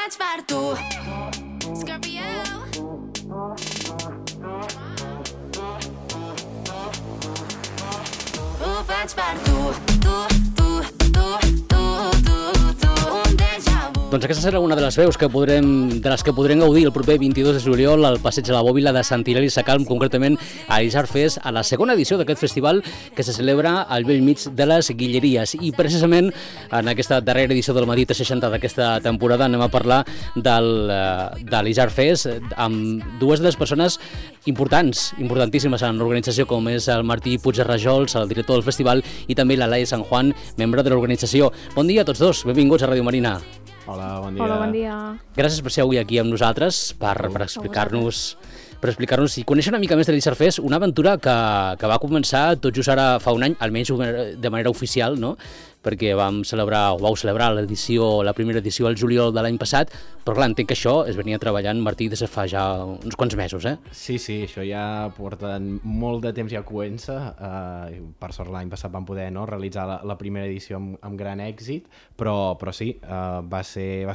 faig per tu. Scorpio. Ho faig per tu, un déjà vu. Doncs aquesta serà una de les veus que podrem gaudir el proper 22 de juliol al Passeig de la Bòbila de Sant Hilari Sacalm, concretament a l'Isard Fest, a la segona edició d'aquest festival que se celebra al bell mig de les Guilleries. I precisament en aquesta darrera edició del Madí 60 d'aquesta temporada anem a parlar de l'Isard Fest amb dues de les persones importantíssimes en l'organització, com és el Martí Puig-Rajols, el director del festival, i també la Laia San Juan, membre de l'organització. Bon dia a tots dos, benvinguts a Ràdio Marina. Hola, bon dia. Hola, bon dia. Gràcies per ser avui aquí amb nosaltres, per explicar-nos i conèixer una mica més de l'Isard Fest, una aventura que va començar tot just ara fa un any, almenys de manera oficial, no? Perquè vau celebrar la primera edició al juliol de l'any passat, però clar, entenc que això es venia treballant, Martí, des de fa ja uns quants mesos, eh? Sí, això ja porta molt de temps ja comença. Per sort l'any passat vam poder realitzar la primera edició amb gran èxit, però sí, va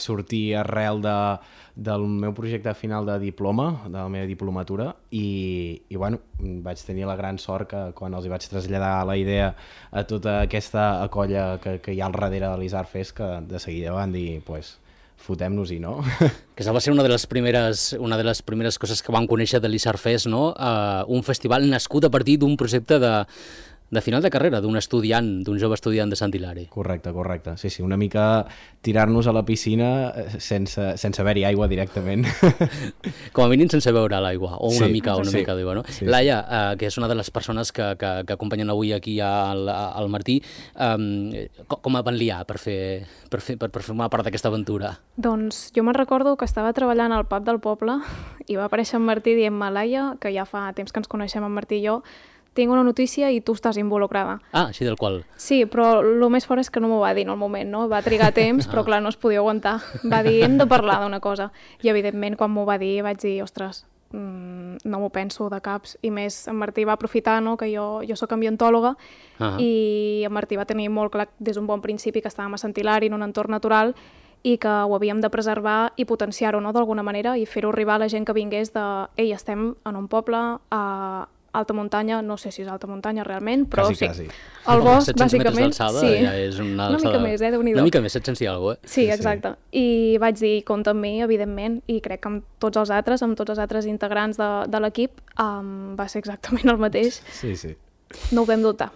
sortir arrel del meu projecte final de diploma, de la meva diplomatura, i bueno, vaig tenir la gran sort que quan els hi vaig traslladar la idea a tota aquesta colla que hi ha al darrere de l'Isard Fest, que de seguida van dir, pues, fotem-nos-hi, no? Que va ser una de les primeres coses que vam conèixer de l'Isard Fest, no? Un festival nascut a partir d'un projecte de final de carrera, d'un jove estudiant de Sant Hilari. Correcte. Sí, una mica tirar-nos a la piscina sense haver-hi aigua directament. Com a mínim sense veure l'aigua, o una mica d'aigua, no? Sí. Laia, que és una de les persones que acompanyen avui aquí al Martí, com van liar per formar part d'aquesta aventura? Doncs jo me'n recordo que estava treballant al pub del poble i va aparèixer en Martí dient-me, Laia, que ja fa temps que ens coneixem en Martí i jo, tinc una notícia i tu estàs involucrada. Ah, així del qual. Sí, però el més fort és que no m'ho va dir en el moment, no? Va trigar temps, però clar, no es podia aguantar. Va dir, hem de parlar d'una cosa. I evidentment, quan m'ho va dir, vaig dir, ostres, no m'ho penso de caps. I més, en Martí va aprofitar, no?, que jo soc ambientòloga, i en Martí va tenir molt clar des d'un bon principi que estàvem a Sant Hilari, en un entorn natural, i que ho havíem de preservar i potenciar-ho, no?, d'alguna manera, i fer-ho arribar a la gent que vingués de, ei, estem en un poble a alta muntanya, no sé si és alta muntanya realment, però quasi. Sí. El bosc, 700 bàsicament, metres d'alçada, sí. Ja és una mica més, Déu-n'hi-do. Una mica més, 700 i alguna cosa, Sí, exacte. I vaig dir, compta amb mi, evidentment, i crec que amb tots els altres integrants de l'equip, va ser exactament el mateix. Sí. No ho vam dubtar.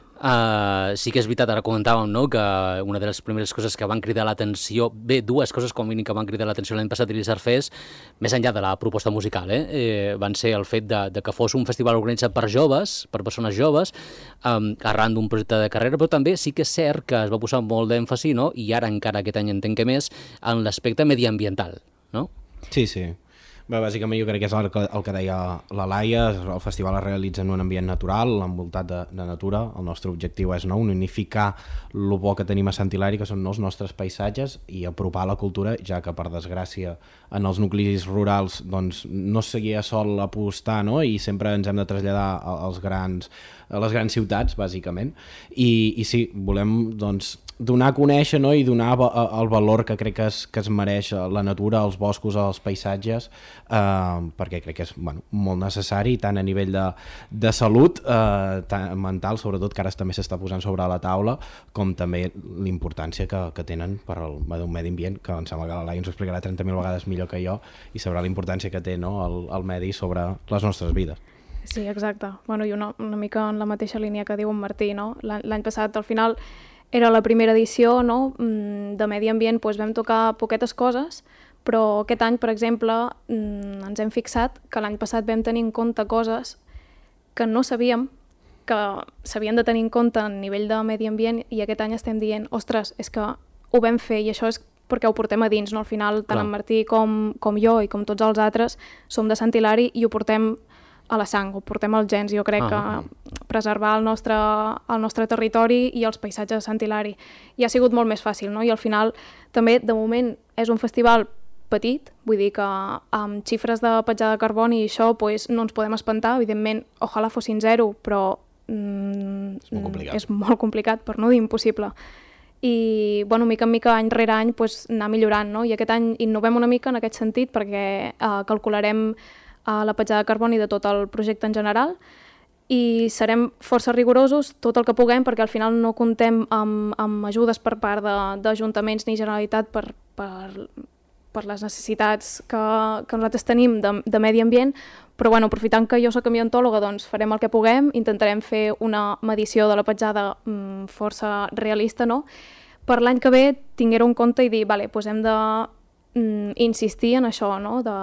Sí que és veritat, ara comentàvem, no?, que una de les primeres coses que van cridar l'atenció, dues coses com a mínim que van cridar l'atenció l'any passat a l'Isard Fest, més enllà de la proposta musical, van ser el fet de que fos un festival organitzat per joves, per persones joves, arran d'un projecte de carrera, però també sí que és cert que es va posar molt d'èmfasi, no?, i ara encara aquest any entenc que més, en l'aspecte mediambiental, no? Sí. Bé, bàsicament jo crec que és el que deia la Laia, el festival es realitza en un ambient natural, envoltat de natura. El nostre objectiu és unificar el bo que tenim a Sant Hilari, que són els nostres paisatges, i apropar la cultura, ja que per desgràcia en els nuclis rurals doncs, no seguia sol apostar, no?, i sempre ens hem de traslladar a les grans ciutats, bàsicament. I sí, volem doncs, donar a conèixer, no?, i donar el valor que crec que es mereix la natura, els boscos, els paisatges, perquè crec que és molt necessari, tant a nivell de salut mental, sobretot, que ara també s'està posant sobre la taula, com també l'importància que tenen per al medi ambient, que em sembla que la Laia ens ho explicarà 30.000 vegades millor que jo, i sabrà la importància que té, no?, el medi sobre les nostres vides. Sí, exacte. I una mica en la mateixa línia que diu en Martí, no? L'any passat, al final, era la primera edició, no?, de medi ambient, doncs vam tocar poquetes coses, però aquest any, per exemple, ens hem fixat que l'any passat vam tenir en compte coses que no sabíem que s'havien de tenir en compte a nivell de medi ambient, i aquest any estem dient, ostres, és que ho vam fer, i això és perquè ho portem a dins, no? Al final, tant en Martí com jo i com tots els altres som de Sant Hilari i ho portem a la sang, ho portem als gens. Jo crec que preservar el nostre territori i els paisatges de Sant Hilari i ha sigut molt més fàcil, no? I al final també, de moment, és un festival petit, vull dir que amb xifres de petjada de carboni i això pues, no ens podem espantar, evidentment, ojalà fossin zero, però és molt complicat, per no dir impossible. i bueno, mica en mica, any rere any, pues, anar millorant, no? I aquest any innovem una mica en aquest sentit perquè calcularem la petjada de carboni de tot el projecte en general i serem força rigorosos tot el que puguem perquè al final no comptem amb ajudes per part d'ajuntaments ni Generalitat per les necessitats que nosaltres tenim de medi ambient, però bueno, aprofitant que jo soc ambientòloga, doncs farem el que puguem, intentarem fer una medició de la petjada força realista, no? Per l'any que ve tinguer-ho en compte i dir, vale, doncs hem de insistir en això, no? De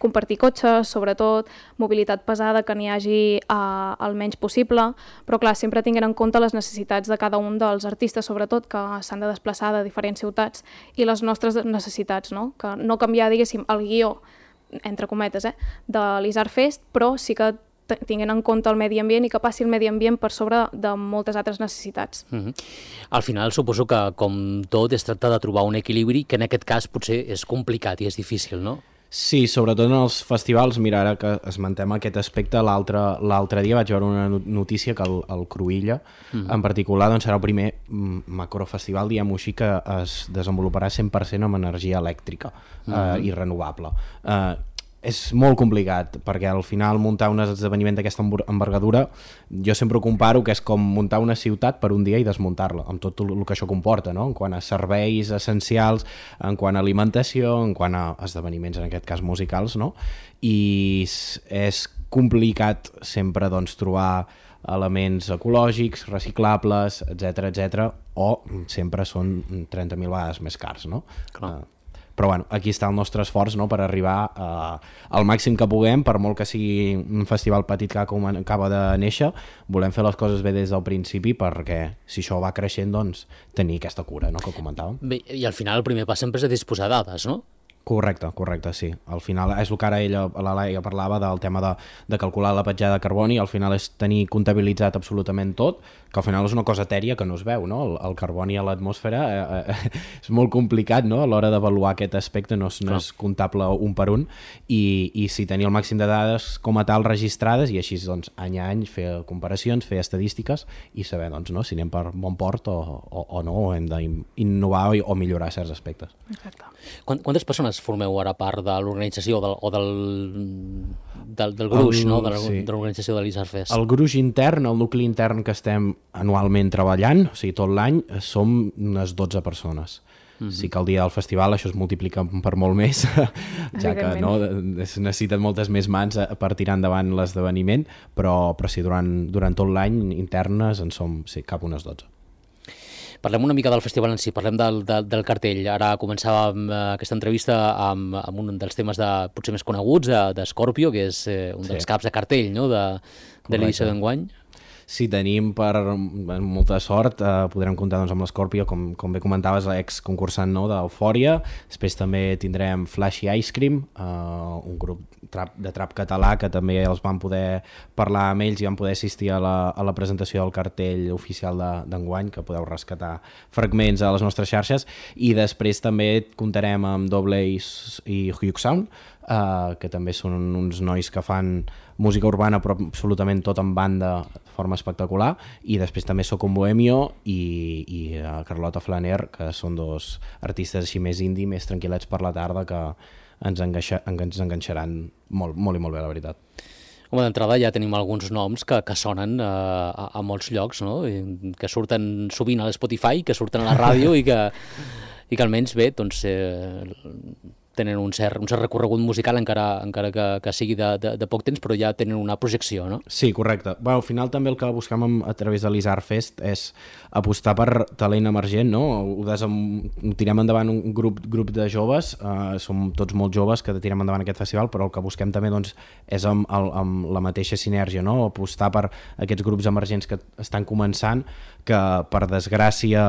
compartir cotxes, sobretot, mobilitat pesada, que n'hi hagi el menys possible, però clar, sempre tinguent en compte les necessitats de cada un dels artistes, sobretot, que s'han de desplaçar de diferents ciutats, i les nostres necessitats, no? Que no canviar, diguéssim, el guió, entre cometes, de l'Isart Fest, però sí que tinguent en compte el medi ambient i que passi el medi ambient per sobre de moltes altres necessitats. Al final suposo que, com tot, es tracta de trobar un equilibri que en aquest cas potser és complicat i és difícil, no? Sí, sobretot en els festivals, mira, ara que esmentem aquest aspecte, l'altre dia vaig veure una notícia que el Cruïlla, en particular, doncs serà el primer macrofestival, diguem-ho així, que es desenvoluparà 100% amb energia elèctrica i renovable. És molt complicat, perquè al final muntar un esdeveniment d'aquesta envergadura, jo sempre ho comparo que és com muntar una ciutat per un dia i desmuntar-la, amb tot el que això comporta, no? En quant a serveis essencials, en quant a alimentació, en quant a esdeveniments, en aquest cas musicals, no? I és complicat sempre doncs, trobar elements ecològics, reciclables, etc, o sempre són 30.000 vegades més cars, no? Clar. Però bueno, aquí està el nostre esforç, no?, per arribar al màxim que puguem, per molt que sigui un festival petit que acaba de néixer, volem fer les coses bé des del principi perquè si això va creixent, doncs tenir aquesta cura, no?, que comentàvem. Bé, i al final el primer pas sempre és de disposar de dades, no? Correcte, sí. Al final és el que ara la Laia parlava del tema de calcular la petjada de carboni, al final és tenir comptabilitzat absolutament tot, que al final és una cosa etèria que no es veu, no? El carboni a l'atmosfera és molt complicat, no?, a l'hora d'avaluar aquest aspecte, no és comptable un per un, i si tenir el màxim de dades com a tal registrades, i així doncs any a any fer comparacions, fer estadístiques i saber doncs, no?, si anem per bon port o no, o hem d'innovar o millorar certs aspectes. Exacte. Quantes persones formeu ara part de l'organització o del gruix, no?, de l'organització de l'Isart Fest? El gruix intern, el nucli intern que estem anualment treballant, o sigui, tot l'any, som unes 12 persones. Sí que el dia del festival això es multiplica per molt més, ja que no, es necessiten moltes més mans per tirar endavant l'esdeveniment, però sí, durant tot l'any internes en som cap unes 12. Parlem una mica del festival en si, parlem del cartell. Ara començàvem aquesta entrevista amb un dels temes potser més coneguts, de Scorpio, que és un dels caps de cartell, no?, de l'edició d'enguany. Sí, tenim molta sort, podrem comptar doncs, amb l'Scorpio, com bé comentaves, l'ex-concursant d'Eufòria. Després també tindrem Flashy Ice Cream, un grup de trap català que també els vam poder parlar amb ells i vam poder assistir a la presentació del cartell oficial d'enguany, que podeu rescatar fragments a les nostres xarxes. I després també comptarem amb Double Ace i Hugh Sound, que també són uns nois que fan música urbana però absolutament tot en banda de forma espectacular, i després també Soc un Bohemio i Carlota Flaner, que són dos artistes així més indie, més tranquil·lets per la tarda, que ens enganxaran molt, molt i molt bé, la veritat. Home, d'entrada ja tenim alguns noms que sonen a molts llocs, no?, que surten sovint a l'Spotify, que surten a la ràdio i que almenys bé, doncs tenen un cert recorregut musical, encara que sigui de poc temps, però ja tenen una projecció, no? Sí, correcte. Bé, al final també el que buscam a través de l'Isart Fest és apostar per talent emergent, no? Ho tirem endavant un grup de joves, som tots molt joves que tirem endavant aquest festival, però el que busquem també doncs, és amb la mateixa sinergia, no? Apostar per aquests grups emergents que estan començant, que per desgràcia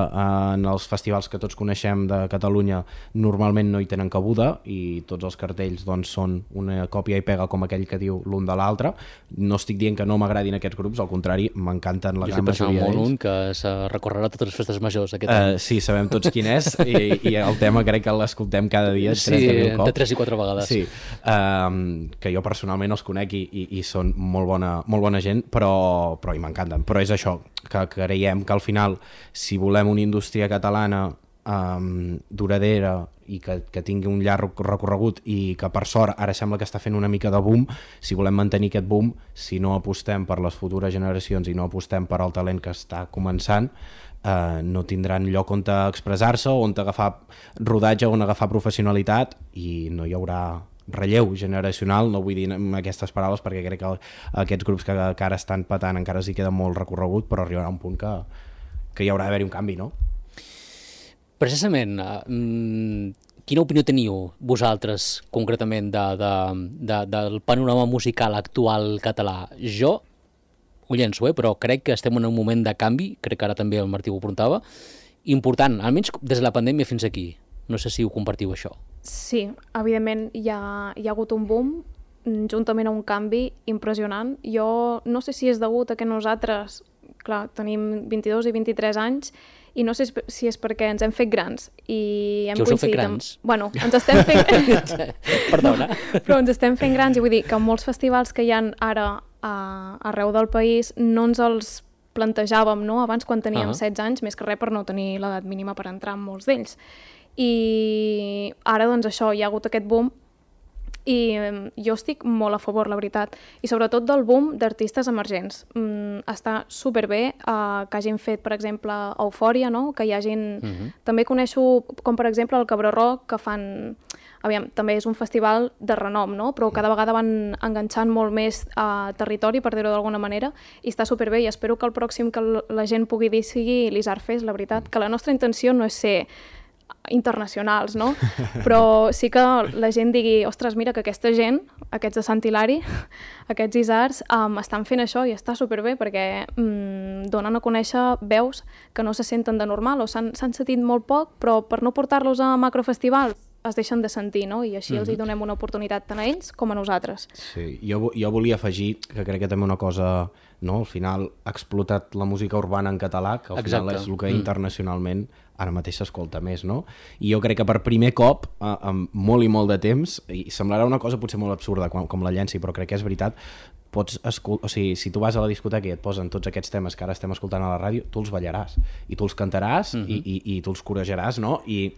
en els festivals que tots coneixem de Catalunya normalment no hi tenen cabuda, còpia i tots els cartells doncs, són una còpia i pega com aquell que diu l'un de l'altre. No estic dient que no m'agradin aquests grups, al contrari, m'encanten la gran majoria d'ells. Un que se recorrerà totes les festes majors aquest any. Sí, sabem tots quin és i el tema crec que l'escoltem cada dia 30.000 cops. De 3 i 4 vegades. Sí, que jo personalment els conec i són molt bona gent, però i m'encanten. Però és això, que creiem que al final, si volem una indústria catalana duradera i que tingui un llarg recorregut i que per sort ara sembla que està fent una mica de boom, si volem mantenir aquest boom, si no apostem per les futures generacions i no apostem per al talent que està començant, no tindran lloc on expressar-se, on agafar rodatge, on agafar professionalitat i no hi haurà relleu generacional. No vull dir amb aquestes paraules perquè crec que aquests grups que ara estan patant encara s'hi queda molt recorregut, però arribarà un punt que hi haurà d'haver-hi un canvi, no? Precisament, quina opinió teniu vosaltres concretament del panorama musical actual català? Jo ho llenço, però crec que estem en un moment de canvi, crec que ara també el Martí ho apuntava, important, almenys des de la pandèmia fins aquí. No sé si ho compartiu, això. Sí, evidentment hi ha hagut un boom juntament a un canvi impressionant. Jo no sé si és degut a que nosaltres, clar, tenim 22 i 23 anys i no sé si és perquè ens hem fet grans i hem que us heu fet coincidit grans? Bueno, ens estem fent... Perdona. Però ens estem fent grans i vull dir que molts festivals que hi ha ara arreu del país no ens els plantejàvem, no? Abans quan teníem 16 anys, més que res per no tenir l'edat mínima per entrar en molts d'ells. I ara doncs això, hi ha hagut aquest boom i jo estic molt a favor, la veritat, i sobretot del boom d'artistes emergents. Està superbé que hagin fet, per exemple, Eufòria, no? Que hi hagin... També coneixo, com per exemple, el Cabró Rock, que fan... Aviam, també és un festival de renom, no? Però cada vegada van enganxant molt més territori, per dir-ho d'alguna manera, i està superbé, i espero que el pròxim que la gent pugui dir sigui l'Isar Fest, la veritat, que la nostra intenció no és ser internacionals, no? Però sí que la gent digui, ostres, mira que aquesta gent, aquests de Sant Hilari, aquests Isars, estan fent això i està superbé perquè donen a conèixer veus que no se senten de normal o s'han sentit molt poc, però per no portar-los a macrofestivals es deixen de sentir, no? I així els hi donem una oportunitat tant a ells com a nosaltres. Sí, jo volia afegir que crec que també una cosa, no? Al final ha explotat la música urbana en català, que al final és el que internacionalment ara mateix s'escolta més, no? I jo crec que per primer cop, amb molt i molt de temps, i semblarà una cosa potser molt absurda com la llenci, però crec que és veritat, o sigui, si tu vas a la discoteca i et posen tots aquests temes que ara estem escoltant a la ràdio, tu els ballaràs, i tu els cantaràs, i tu els corejaràs, no? I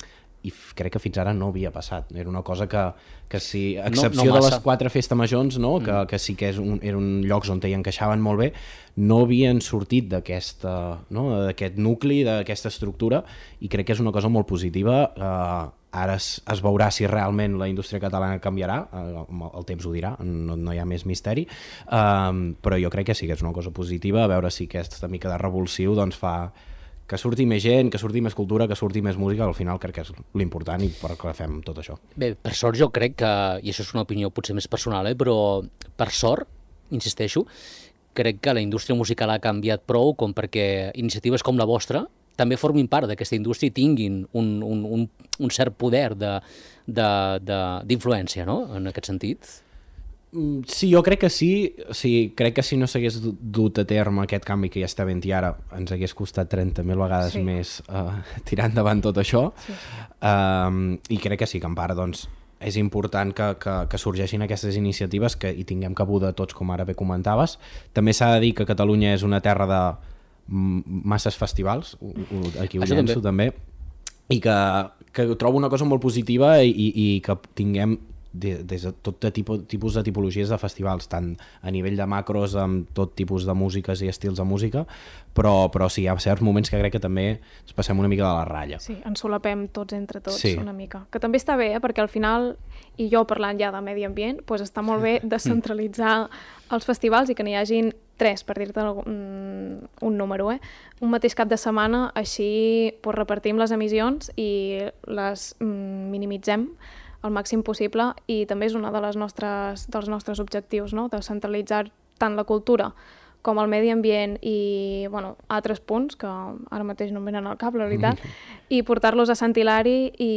crec que fins ara no havia passat. Era una cosa que si, a excepció de les 4 festes majors, no? Que sí que eren llocs on hi encaixaven molt bé, no havien sortit d'aquest nucli, d'aquesta estructura, i crec que és una cosa molt positiva. Ara es veurà si realment la indústria catalana canviarà, el temps ho dirà, no hi ha més misteri, però jo crec que sí que és una cosa positiva, a veure si aquesta mica de revulsiu doncs fa que surti més gent, que surti més cultura, que surti més música, al final crec que és l'important i per què fem tot això. Bé, per sort jo crec que, i això és una opinió potser més personal, però per sort, insisteixo, crec que la indústria musical ha canviat prou com perquè iniciatives com la vostra també formin part d'aquesta indústria i tinguin un cert poder d'influència, no?, en aquest sentit. Sí, jo crec que sí. O sigui, crec que si no s'hagués dut a terme aquest canvi que ja està havent-hi ara, ens hagués costat 30.000 vegades més tirar endavant tot això. Sí. I crec que sí, que en part doncs, és important que sorgeixin aquestes iniciatives, que hi tinguem cabuda tots, com ara bé comentaves. També s'ha de dir que Catalunya és una terra de masses festivals, aquí ho llenço també, i que trobo una cosa molt positiva i que tinguem des de tot tipus de tipologies de festivals, tant a nivell de macros, amb tot tipus de músiques i estils de música, però sí, hi ha certs moments que crec que també ens passem una mica de la ratlla. Sí, ens solapem tots entre tots, una mica. Que també està bé, perquè al final, i jo parlant ja de medi ambient, doncs està molt bé descentralitzar els festivals i que n'hi hagin 3, per dir-te un número, un mateix cap de setmana, així repartim les emissions i les minimitzem al màxim possible, i també és un dels nostres objectius, no? De centralitzar tant la cultura com el medi ambient i bueno, altres punts que ara mateix no em venen al cap, la veritat, i portar-los a Sant Hilari i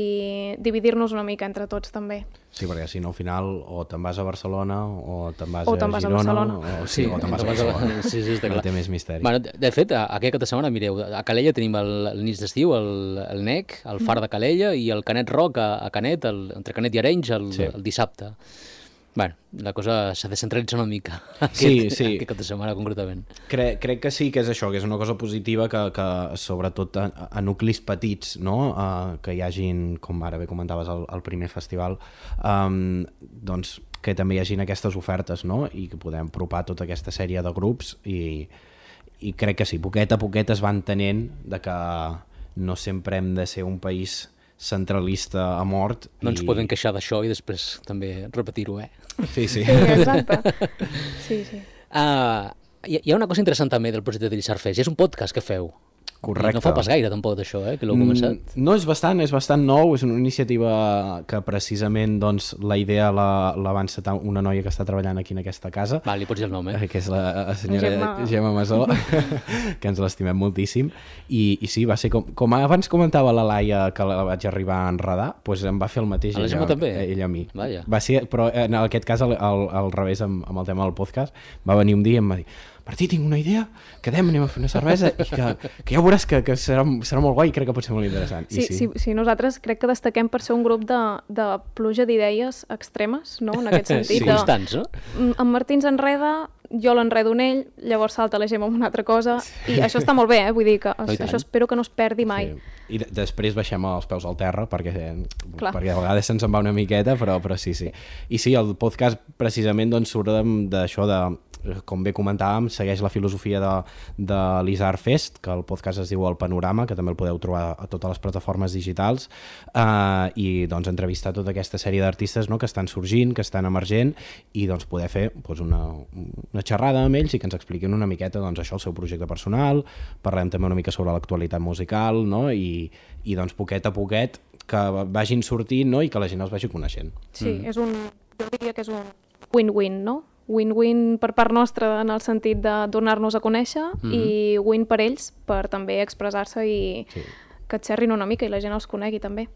dividir-nos una mica entre tots també. Sí, perquè si no al final o te'n vas a Barcelona o te'n vas O a te'n vas a Girona Barcelona. o te'n vas a Barcelona. Sí, està No clar. té més misteri. Bueno, de fet, aquest cap de setmana, mireu, a Calella tenim el nits d'estiu, el NEC, el Far de Calella i el Canet Rock a Canet, entre Canet i Arenys, el dissabte. Bueno, la cosa s'ha descentralitzat una mica aquest cap de setmana concretament. Crec que sí que és això, que és una cosa positiva que sobretot a nuclis petits, no? Que hi hagin, com ara bé comentaves al primer festival, doncs que també hi hagin aquestes ofertes, no? I que podem apropar tota aquesta sèrie de grups i crec que sí, poquet a poquet es va entenent de que no sempre hem de ser un país centralista a mort. No ens podem queixar d'això i després també repetir-ho, Sí. Sí, exacte. Sí. Hi ha una cosa interessant també del projecte de l'Isar Fest, és un podcast que feu. Correcte. I no fa pas gaire tampoc d'això, que l'heu començat. No, és bastant nou, és una iniciativa que precisament doncs, la idea la va encetar una noia que està treballant aquí en aquesta casa, Va, li pots dir el nom, que és la senyora Gemma Masó, que ens l'estimem moltíssim, i sí, va ser com abans comentava la Laia que la vaig arribar a enredar, doncs em va fer el mateix A la Gemma també? ella a mi. Vaja. Va ser, però en aquest cas al revés amb el tema del podcast, va venir un dia i em va dir: Martí, tinc una idea, quedem, anem a fer una cervesa i que ja veuràs que serà molt guai i crec que pot ser molt interessant. Sí, nosaltres crec que destaquem per ser un grup de pluja d'idees extremes, no?, en aquest sentit. Sí, constants, no? En Martí ens enreda, jo l'enredo en ell, llavors salta la Gemma amb una altra cosa, i això està molt bé, vull dir que això espero que no es perdi mai. Sí. I després baixem els peus al terra perquè a vegades se'ns en va una miqueta, però sí. I sí, el podcast precisament doncs, surt d'això com bé comentàvem, segueix la filosofia de l'Isar Fest, que el podcast es diu El Panorama, que també el podeu trobar a totes les plataformes digitals, i doncs entrevistar tota aquesta sèrie d'artistes, no?, que estan sorgint, que estan emergent, i doncs poder fer doncs, una xerrada amb ells i que ens expliquin una miqueta doncs, això, el seu projecte personal, parlem també una mica sobre l'actualitat musical, no?, i doncs poquet a poquet que vagin sortint, no?, i que la gent els vagi coneixent. Sí, jo diria que és un win-win, no? Win-win per part nostra en el sentit de donar-nos a conèixer i win per ells per també expressar-se i que et xerrin una mica i la gent els conegui també.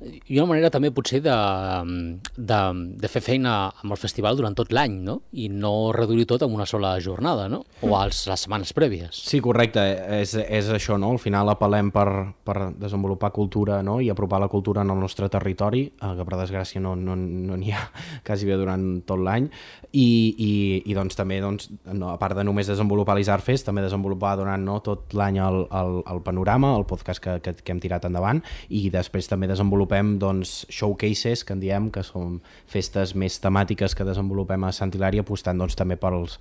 I una manera també potser de fer feina amb el festival durant tot l'any, no? I no reduir tot en una sola jornada, no? O les setmanes prèvies. Sí, correcte, és això, no? Al final apel·lem per desenvolupar cultura, no?, i apropar la cultura en el nostre territori, que per desgràcia no n'hi ha quasi bé durant tot l'any, i doncs també, a part de només desenvolupar l'Isar Fest, també desenvolupar durant tot l'any el Panorama, el podcast que hem tirat endavant, i després també desenvolupem showcases, que en diem, que són festes més temàtiques que desenvolupem a Sant Hilari, apostant també pels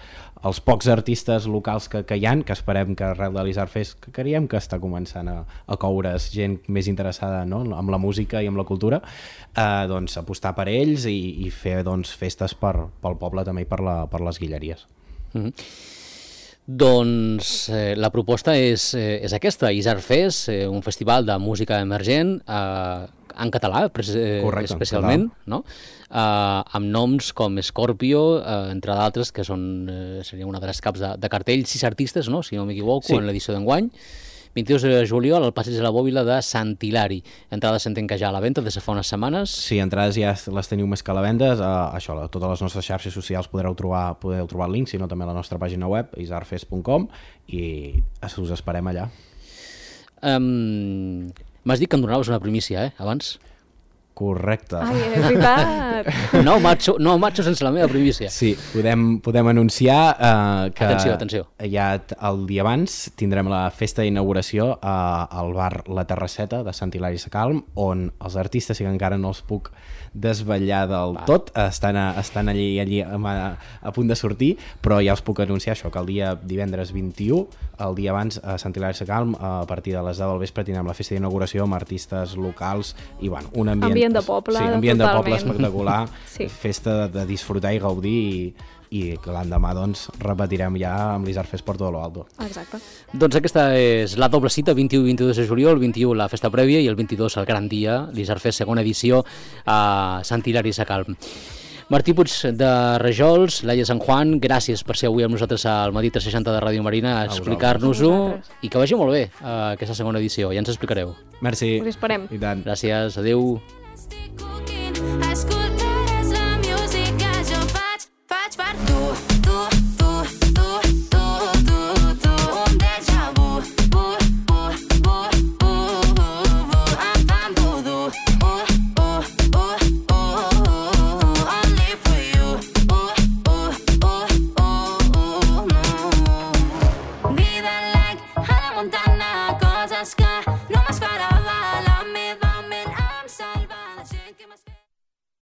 pocs artistes locals que hi ha, que esperem que arrel de l'Isar Fest, que creiem que està començant a coure's gent més interessada, no?, amb la música i amb la cultura, apostar per ells i fer festes pel poble també i per les guilleries. Doncs la proposta és aquesta, Isar Fest, un festival de música emergent en català, especialment, no? Amb noms com Scorpio, entre d'altres, que seria una de les caps de cartell, 6 artistes, no?, si no m'equivoco, en l'edició d'enguany. 22 de juliol al Passeig de la Bòbila de Sant Hilari. Entrades s'entenc que ja a la venda des de fa unes setmanes. Sí, entrades ja les teniu més que a la venda. Això, a totes les nostres xarxes socials podeu trobar el link, sinó també a la nostra pàgina web, isarfest.com, i us esperem allà. M'has dit que em donaves una primícia, abans? Correcte. Ai, és veritat! No marxo sense la meva primícia. Sí, podem anunciar que atenció. Ja el dia abans tindrem la festa d'inauguració al bar La Terrasseta de Sant Hilari Sacalm, on els artistes, que encara no els puc desvetllar del tot, estan allí a punt de sortir, però ja els puc anunciar això, que el dia divendres 21, el dia abans a Sant Hilari Sacalm, a partir de les 10 del vespre tindrem la festa d'inauguració amb artistes locals i un ambient de poble, ambient de poble espectacular, festa de disfrutar i gaudir, i que l'endemà repetirem ja amb l'Isar Fest por todo lo alto. Exacte. Doncs aquesta és la doble cita, 21 i 22 de juliol, el 21 la festa prèvia i el 22 el gran dia, l'Isar Fest segona edició a Sant Hilari Sacalm. Martí Puig de Rajols, Laia Sant Juan, gràcies per ser avui amb nosaltres al Matí 360 de Ràdio Marina a explicar-nos-ho i que vagi molt bé aquesta segona edició, ja ens explicareu. Merci. Us esperem. I tant. Gràcies, adeu. Stick